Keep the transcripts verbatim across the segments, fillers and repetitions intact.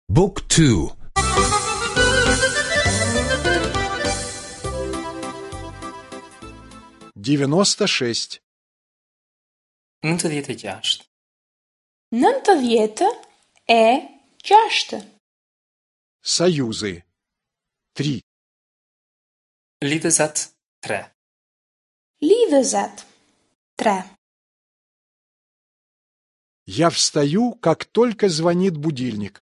Book two. Девяносто шесть. Nëntëdhjetë e gjashtë. Nëntëdhjetë e gjashtë. Союзы. Три. Lidhëzat tre. Lidhëzat tre. Я встаю, как только звонит будильник.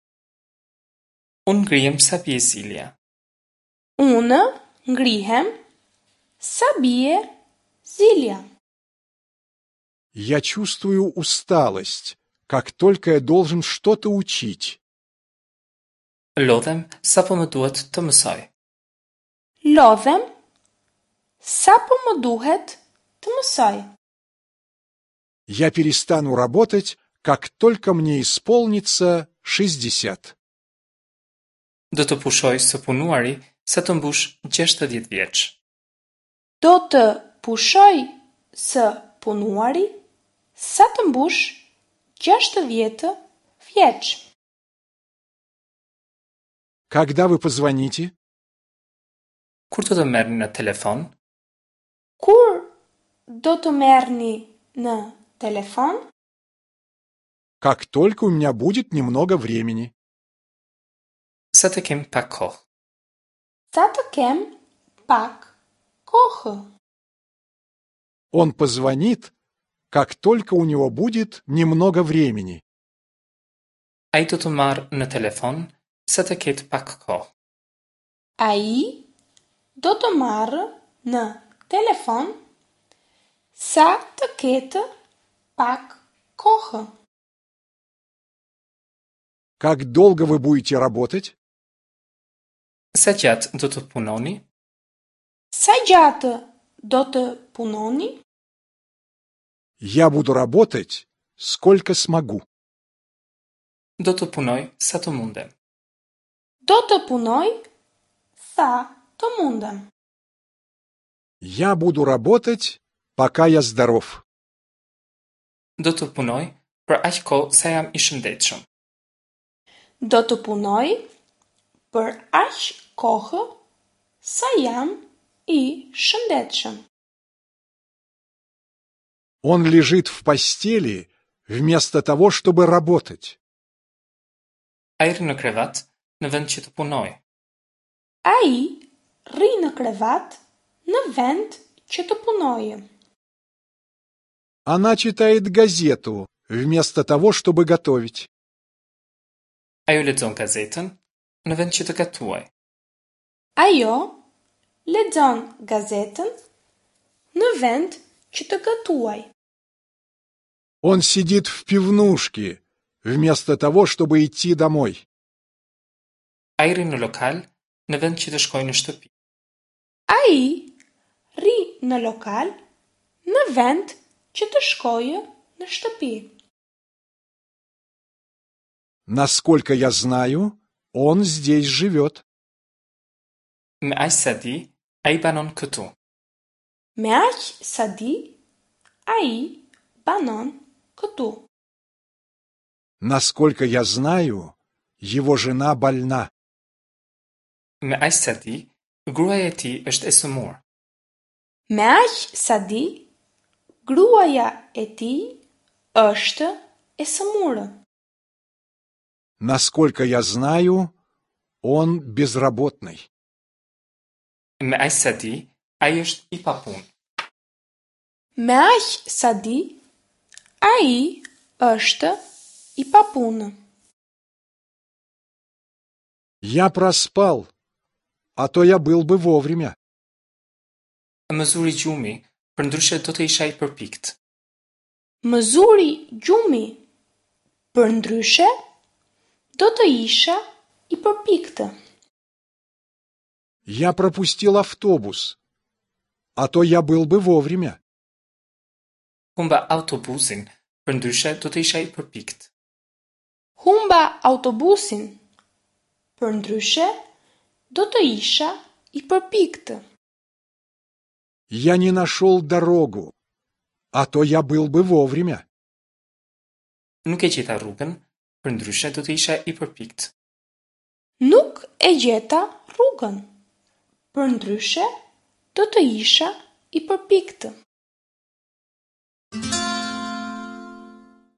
Unë ngrihem sa bie zilja. Unë ngrihem sa bie zilja. Я чувствую усталость, как только я должен что-то учить. Lodhem sapo më duhet të mësoj. Lodhem sapo më duhet të mësoj. Я перестану работать, как только мне исполнится шестьдесят. Do të pushoj së punuari sa të mbush gjashtëdhjetë vjeç. Do të pushoj së punuari sa të mbush gjashtëdhjetë vjeç. Когда вы позвоните? Kur do të merrni në telefon? Kur do të merrni në telefon? Как только у меня будет немного времени. Sa të kem pak kohë. Sa të kem pak kohë. Он позвонит, как только у него будет немного времени. Ai do të marrë në telefon sa të ketë pak kohë. Ai do të marrë në telefon sa të ketë pak kohë. Как долго вы будете работать? Sa gjatë do të punoni? Sa gjatë do të punoni? Я буду работать, сколько смогу. Do të punoj sa të mundem. Do të punoj sa të mundem. Я буду работать, пока я здоров. Do të punoj për aq kohë sa jam i shëndetshëm. Do të punoj për aq kohë sa jam i shëndetshëm. Он лежит в постели вместо того, чтобы работать. Ai rri në krevat në vend që të punojë. Ai rri në krevat në vend që të punojë. Она читает газету вместо того, чтобы готовить. Ajo lexon gazetën në vend që të gatuajë. Ajo lexon gazetën në vend që të gatuajë. Он сидит в пивнушке вместо того, чтобы идти домой. Ai rri në lokal në vend që të shkojë në shtëpi. Ai rri në lokal në vend që të shkojë në shtëpi. Насколько я знаю, он здесь живет. Me aq sa di, ai banon këtu. Me aq sa di, ai banon këtu. Насколько я знаю, его жена больна. Me aq sa di, gruaja e tij është e sëmurë. Me aq sa di, gruaja e tij është e sëmurë. Насколько я знаю, он безработный. Me aq sa di, ai është i papunë. Me aq sa di, ai është i papunë. Я проспал, а то я был бы вовремя. Më zuri gjumi, përndryshe do të isha i përpikt. Më zuri gjumi, përndryshe do të isha i përpiktë. Я пропустил автобус, а то я был бы вовремя. Humba autobusin, përndryshe do të isha i përpikt. Humba autobusin, përndryshe do të isha i përpiktë. Я не нашел дорогу, а то я был бы вовремя. Nuk e gjeta rrugën, përndryshe do të isha i përpikt. Nuk e gjeta rrugën, përndryshe do të isha i përpiktë.